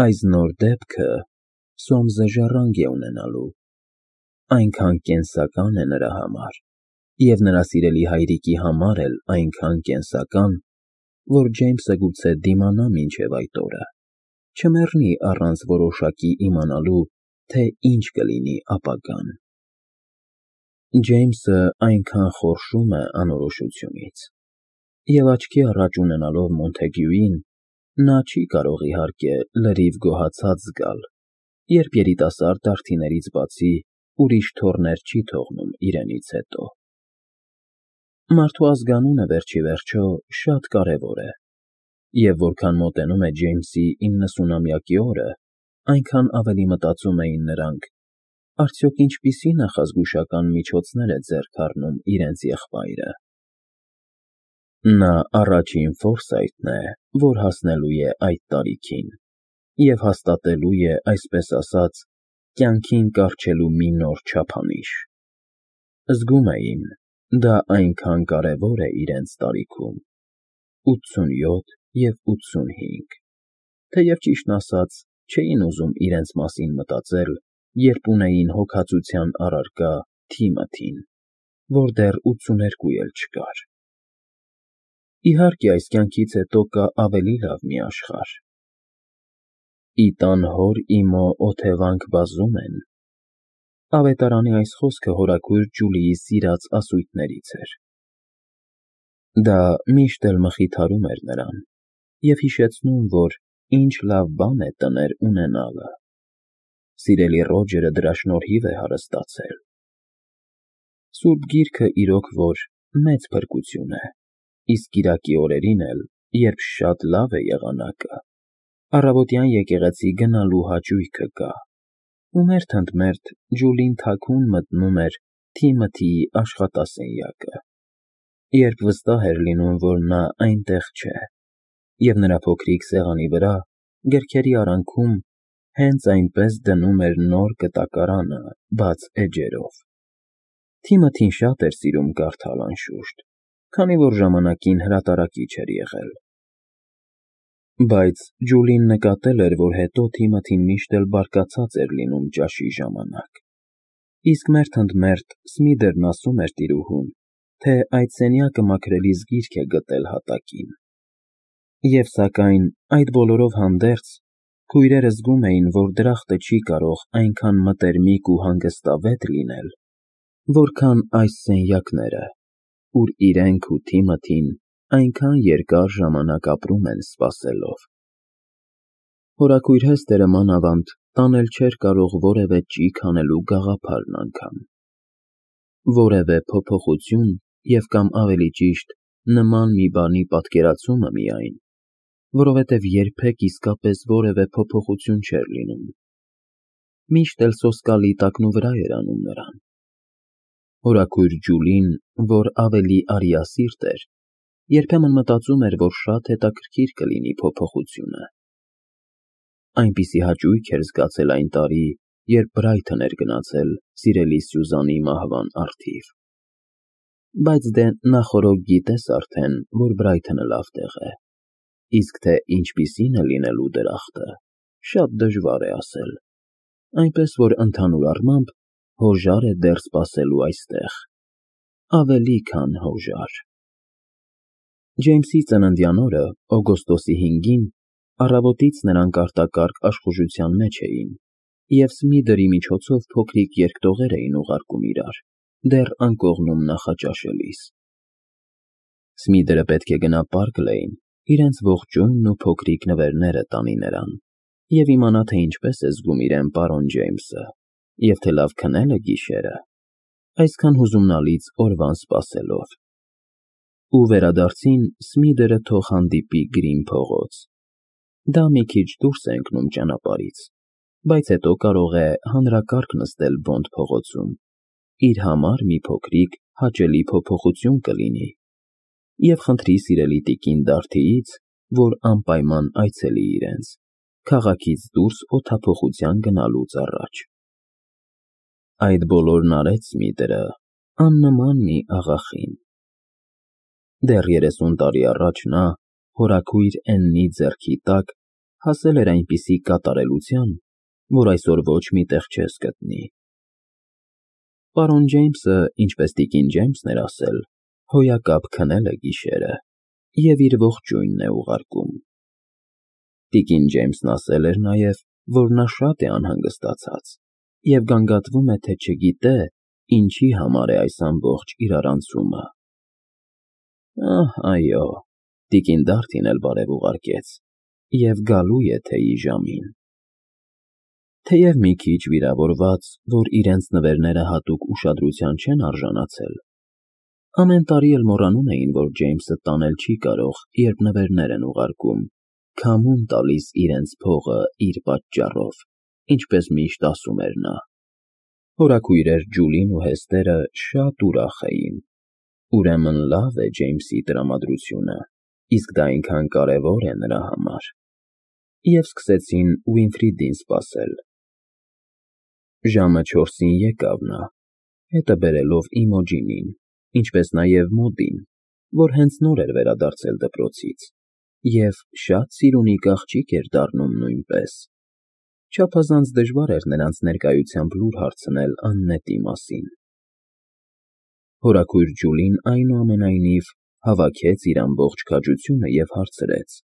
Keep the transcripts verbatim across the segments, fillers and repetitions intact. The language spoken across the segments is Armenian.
Այս նոր դեպքը Սոմսը ժառանգ է ունենալու, այնքան կենսական է նրա համար, և նրա սիրելի հայրիկի համար էլ այնքան կենսական, որ Ջեյմսը գուցե դիմանա մինչև այդ օրը, չմեռնի առանց որոշակի իմանալու, թե ինչ կլինի ապագան։ Ջեյմսը այնքան խորշում է անորոշությունից, և աչքի առաջ ունենալով Մոնթեգյուին, նա չի կարող իհարկե լրիվ գոհացած զգալ, երբ երիտասարդ դարդիներից բացի ուրիշ թոռներ չի թողնում իրենից հետո։ Մարդու ազգանունը վերջիվերջո շատ կարևոր է, և որքան մոտենում է Ջեյմսի իննսունամյակի օրը, այնքան ավելի մտածում էին նրանք. արդյոք ինչպիսի նախազգուշական միջոցներ է ձեռք առնում իրենց եղբայրը։ Նա առաջին Ֆորսայթն է, որ հասնելու է այդ տարիքին և հաստատելու է, այսպես ասած, կյանքին կառչելու մի նոր չափանիշ։ Զգում էին, դա այնքան կարևոր է իրենց տարիքում՝ ութսունյոթ և ութսունհինգ, թեև ճիշտն ասած, չէին ուզում իրենց մասին մտածել, երբ ունեին հոգածության առարկա Թիմոթին, որ դեռ ութսուներկու էլ չկար։ Իհարկե, այս կյանքից հետո կա ավելի լավ մի աշխարհ։ «Ի տան հոր իմո օթևանք բազում են»։ Ավետարանի այս խոսքը հորաքույր Ջուլիի սիրած ասույթներից էր։ Դա միշտ էլ մխիթարում էր նրան և հիշեցնում, որ ինչ լավ բան է տներ ունենալը։ Սիրելի Ռոջերը դրա շնորհիվ է հարստացել։ Սուրբ Գիրքը իրոք որ մեծ փրկություն է, իսկ կիրակի օրերին էլ, երբ շատ լավ է եղանակը, առավոտյան եկեղեցի գնալու հաճույքը կա, ու մերթ ընդ մերթ Ջուլին թաքուն մտնում էր Թիմոթիի աշխատասենյակը, երբ վստահ էր լինում, որ նա այնտեղ չէ, և նրա փոքրիկ սեղանի վրա, գրքերի արանքում, հենց այնպես դնում էր նոր կտակարանը բաց էջերով։ Թիմոթին շատ էր սիրում կարդալ, անշուշտ, քանի որ ժամանակին հրատարակիչ էր եղել։ Բայց Ջուլին նկատել էր, որ հետո Թիմոթին միշտ էլ բարկացած էր լինում ճաշի ժամանակ, իսկ մերթ ընդ մերթ Սմիդերն ասում էր տիրուհուն, թե այդ սենյակը մաքրելիս գիրք է գտել հատակին։ Եվ սակայն, այդ բոլորով հանդերձ, քույրերը զգում էին, որ դրախտը չի կարող այնքան մտերմիկ ու հանգստավետ լինել, որքան այս սենյակները, ուր իրենք ու Թիմոթին այնքան երկար ժամանակ ապրում են սպասելով։ Հորաքույր Հեսթերը մանավանդ տանել չէր կարող որևէ ճիգ անելու գաղափարն անգամ։ Որևէ փոփոխություն և կամ ավելի ճիշտ նման մի բանի պատկերացումը միայն, որովհետև երբեք իսկապես որևէ փոփոխություն չէր լինում։ Միշտ էլ սոսկալի տակնուվրա էր անում նրան։ Հորաքույր Ջուլին, որ ավելի արիասիրտ էր, երբեմն մտածում էր, որ շատ հետաքրքիր կլինի փոփոխությունը։ Այնպիսի հաճույք էր զգացել այն տարի, երբ Բրայթն էր գնացել սիրելի Սյուզանի մահվան առթիվ։ Բայց դե նախօրոք գիտես արդեն, որ Բրայթոնը լավ տեղ է, իսկ թե ինչպիսին է լինելու դրախտը, շատ դժվար է ասել, այնպես որ ընդհանուր առմամբ հոժար է դեռ սպասելու այստեղ, ավելի քան հոժար։ Ջեյմսի ծննդյան օրը, օգոստոսի հինգին, առավոտից նրանք արտակարգ աշխուժության մեջ էին, և Սմիդերի միջոցով փոքրիկ երկտողեր էին ուղարկում իրար, դեռ անկողնում նախաճաշելիս։ Սմիդերը պետք է գնա Պարկ Լեյն, իրենց ողջույնն ու փոքրիկ նվերները տանի նրան, և իմանա, թե ինչպես է զգում իրեն պարոն Ջեյմսը, և թե լավ քնել է գիշերը, այսքան հուզումնալից օրվան սպասելով։ Ու վերադարձին Սմիդերը թող հանդիպի Գրին փողոց։ Դա մի քիչ դուրս է ընկնում ճանապարհից, բայց հետո կարող է հանրակարգ նստել Բոնդ փողոցում, իր համար մի փոքրիկ հաճելի փոփոխություն կլինի, և խնդրի սիրելի տիկին Դարդիից, որ անպայման այցելի իրենց, քաղաքից դուրս օդափոխության գնալուց առաջ։ Այդ բոլորն արեց Սմիդերը, աննման մի աղախին։ Դեռ երեսուն տարի առաջ նա, հորաքույր Էննի ձեռքի տակ, հասել էր այնպիսի կատարելության, որ այսօր ոչ մի տեղ չես գտնի։ Պարոն Ջեյմսը, ինչպես տիկին Ջեյմսն էր ասել, հոյակապ քնել է գիշերը և իր ողջույնն է ուղարկում։ Տիկին Ջեյմսն ասել էր նաև, որ նա շատ է անհանգստացած և գանգատվում է, թե չգիտե, ինչի համար է այս ամբողջ իրարանցումը։ Ահ, այո, տիկին Դարթին էլ բարև ուղարկեց և գալու է թեյի ժամին։ Թեև մի քիչ վիրավորված, որ իրենց նվերները հատուկ ուշադրության չեն արժանացել, ամեն տարի էլ մոռանում էին, որ Ջեյմսը տանել չի կարող, երբ նվերներ են ուղարկում, քամուն տալիս իրենց փողը իր պատճառով, ինչպես միշտ ասում էր նա։ Հորաքույրեր Ջուլին ու Հեստերը շատ ուրախ էին։ Ուրեմն լավ է Ջեյմսի տրամադրությունը, իսկ դա այնքան կարևոր է նրա համար։ Եվ սկսեցին Ուինֆրիդին սպասել։ Ժամը չորսին եկավ նա, հետը բերելով Իմոջինին, ինչպես նաև Մոդին, որ հենց նոր էր վերադարձել դպրոցից, և շատ սիրունիկ աղջիկ էր դառնում նույնպես։ Չափազանց դժվար էր նրանց ներկայությամբ լուր հարցնել աննետի մասին։ Հորաքույր Ջուլին, այնուամենայնիվ, հավաքեց իր ամբողջ քաջությունը և հարցրեց.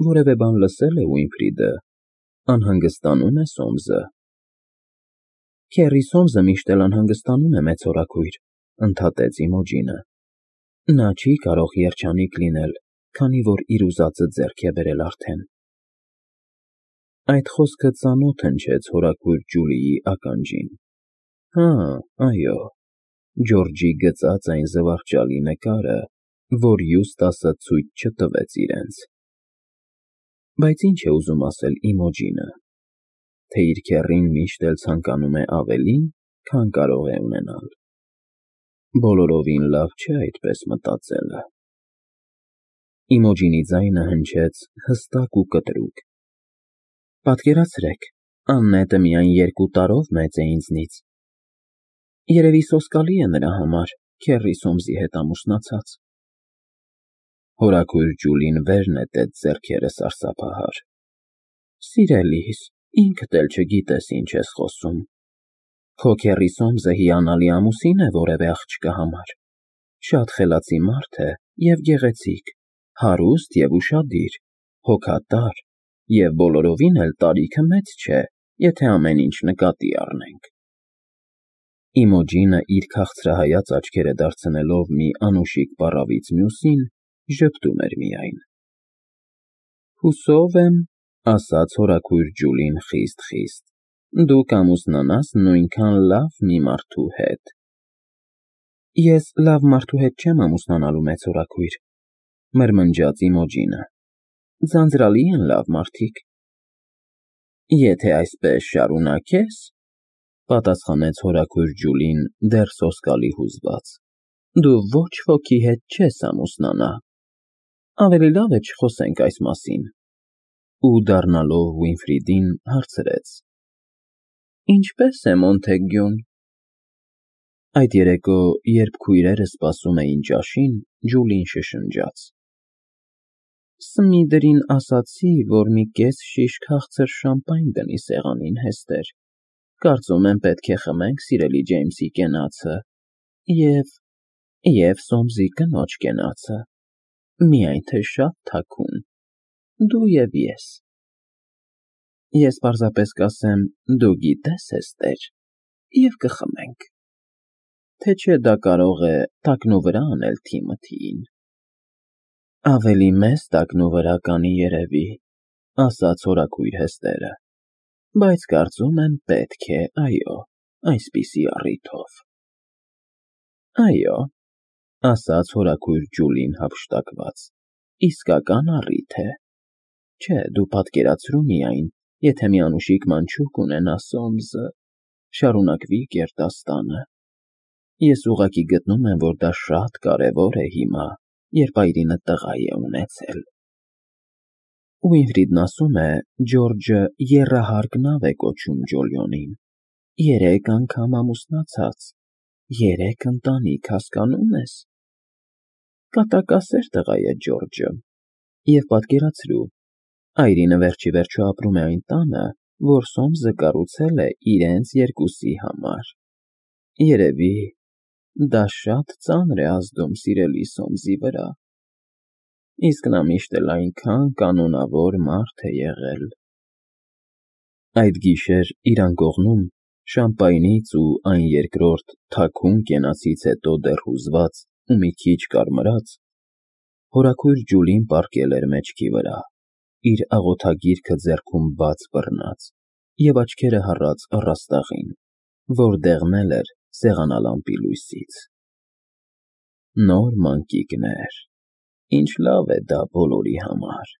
«Որևէ բան լսե՞լ է Ուինֆրիդը, անհանգստանո՞ւմ է Սոմսը»։ Քեռի Սոմսը միշտ էլ անհանգստանում է, մեծ հորաքույր, ընդհատեց Իմոջինը։ Նա չի կարող երջանիկ լինել, քանի որ իր ուզածը ձեռք է բերել արդեն։ Այդ խոսքը ծանոթ հնչեց հորաքույր Ջուլիի ականջին։ Հա, այո, Ջորջի գծած այն զվարճալի նկարը, որ Յուստասը ցույց չտվեց իրենց։ Բայց ինչ է ուզում ասել Իմոջինը, թե իր քեռին միշտ էլ ցանկանում է ավելին, քան կարող է ունենալ։ Բոլորովին լավ չէ այդպես մտածելը։ Իմոջինի ձայնը հնչեց հստակ ու կտրուկ։ Պատկերացրեք, Աննետը միայն երկու տարով մեծ է ինձնից։ Երևի սոսկալի է նրա համար, քեռի Սոմսի հետ ամուսնացած։ Հորաքույր Ջուլին վեր նետեց ձեռքերը սարսափահար։ Սիրելիս, ինքդ էլ չգիտես ինչ ես խոսում։ Քո քեռի Սոմսը հիանալի ամուսին է որևէ աղջկա համար։ Շատ խելացի մարդ է և գեղեցիկ, հարուստ և ուշադիր, հոգատար և բոլորովին էլ տարիքը մեծ չէ, եթե ամեն ինչ նկատի առնենք։ Իմոջինը իր քաղցրահայաց աչքերը դարձնելով մի անուշիկ պառավից մյուսին, ժպտում էր միայն։ Հուսով եմ, ասաց հորաքույր Ջուլին խիստ֊խիստ, դու կամուսնանաս նույնքան լավ մի մարդու հետ։ Ես լավ մարդու հետ չեմ ամուսնանալու, մեծ հորաքույր, մրմնջաց Իմոջինը։ Ձանձրալի են լավ մարդիկ։ Եթե այսպես շարունակես, պատասխանեց հորաքույր Ջուլին դեռ սոսկալի հուզված, դու ոչ ոքի հետ չես ամուսնանա։ Ավելի լավ է չխոսենք այս մասին։ Ու դառնալով Ուինֆրիդին հարցրեց. Ինչպե՞ս է Մոնթեգյուն։ Այդ երեկո, երբ քույրերը սպասում էին ճաշին, Ջուլին շշնջաց. Սմիդրին ասացի, որ մի կես շիշ քաղցր շամպայն դնի սեղանին, Հեստեր։ Կարծում եմ պետք է խմենք սիրելի Ջեյմսի կենացը և… և Սոմսի կնոջ կենացը, միայն թե շատ թաքուն, դու և ես։ Ես պարզապես կասեմ, դու գիտես, Հեստեր, և կխմենք։ Թե չէ դա կարող է տակնուվրա անել Թիմոթիին։ Ավելի մեծ տակնուվրա կանի, երևի, ասաց հորաքույր Հեստերը, բայց կարծում եմ պետք է, այո, այսպիսի առիթով։ Այո, ասաց հորաքույր Ջուլին հափշտակված, իսկական առիթ է։ Չէ, դու պատկերացրու միայն, եթե մի անուշիկ մանչուկ ունենա Սոմսը, շարունակվի գերդաստանը։ Ես ուղղակի գտնում եմ, որ դա շատ կարևոր է հիմա, երբ այրինը տղա է ունեցել։ Ուինֆրիդն ասում է, Ջորջը եռահարկ նավ է կոչում Ջոլիոնին, երեք անգամ ամուսնացած, երեք ընտանիք, հասկանո՞ւմ ես։ Կատակասեր տղա է Ջորջը, և պատկերացրու, Այրինը վերջի վերջո ապրում է այն տանը, որ Սոմսը կառուցել է իրենց երկուսի համար։ Երևի դա շատ ծանր է ազդում սիրելի Սոմսի վրա, իսկ նա միշտ էլ այնքան կանոնավոր մարդ է եղել։ Այդ գիշեր իր անկողնում, շամպայնից ու այն երկրորդ թաքուն կենացից հետո դեռ հուզված ու մի քիչ կարմրած, հորաքույր Ջուլին պառկել էր մեջքի վրա, իր աղոթագիրքը ձեռքում բաց բռնած և աչքերը հառած առաստաղին, որ դեղնել էր սեղանալամպի լույսից։ Նոր մանկիկներ, ինչ լավ է դա բոլորի համար,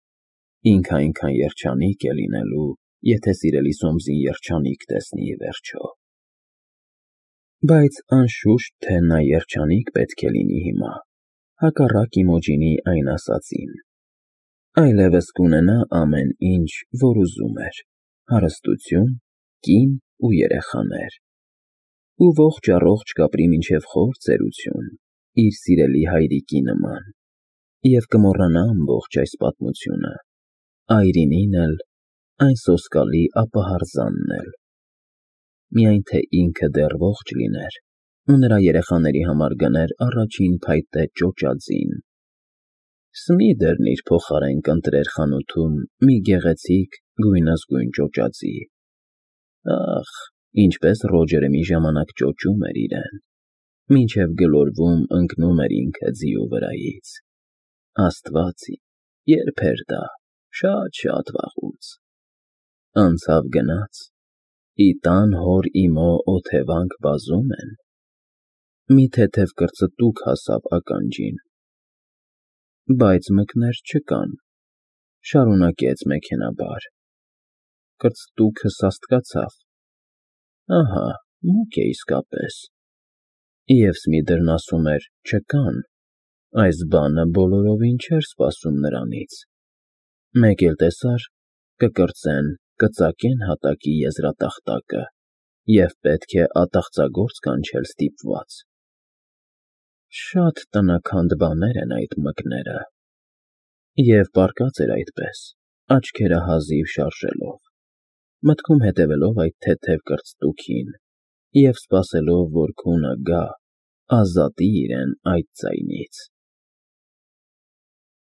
ինքը այնքան երջանիկ է լինելու, եթե սիրելի Սոմսին երջանիկ տեսնի ի վերջո։ Բայց անշուշտ թե նա երջանիկ պետք է լինի հիմա, հակառակ Իմոջինի այն ասածին, այլևս կունենա ամեն ինչ, որ ուզում էր, հարստություն, կին ու երեխաներ, ու ողջ֊առողջ կապրի մինչև խոր ծերություն իր սիրելի հայրիկի նման, և կմոռանա ամբողջ այս պատմությունը, այրինին էլ, այն սոսկալի ապահարզանն էլ, միայն թե ինքը դեռ ողջ լիներ ու նրա երեխաների համար գներ առաջին փայտե ճոճաձին։ Սմիդերն իր փոխարեն կընտրեր խանութում մի գեղեցիկ գույնզգույն ճոճաձի։ Ախ, ինչպես Ռոջերը մի ժամանակ ճոճում էր իրեն, մինչև գլորվում ընկնում էր ինքը ձիու վրայից։ Աստված իմ, երբ էր դա, շատ֊շատ վաղուց։ Անցավ գնաց, ի տան հոր Իմո օթևանք վազում են, մի թեթև կրծտուք հասավ ականջին, բայց մկներ չկան, շարունակեց մեքենայաբար, կրծտուքը սաստկացավ, ահա, մուկ է իսկապես, և Սմիդերն ասում էր չկան, այս բանը բոլորովին չէր սպասում նրանից, մեկ էլ տեսար, կկրծեն, կծակեն հատակի եզրատախտակը և պետք է ատաղծագործ կանչել ստիպված։ Շատ տնաքանդ բաներ են այդ մկները։ Եվ պառկած էր այդպես, աչքերը հազիվ շարժելով, մտքում հետևելով այդ թեթև կրծտուքին և սպասելով, որ քունը գա, ազատի իրեն այդ ձայնից։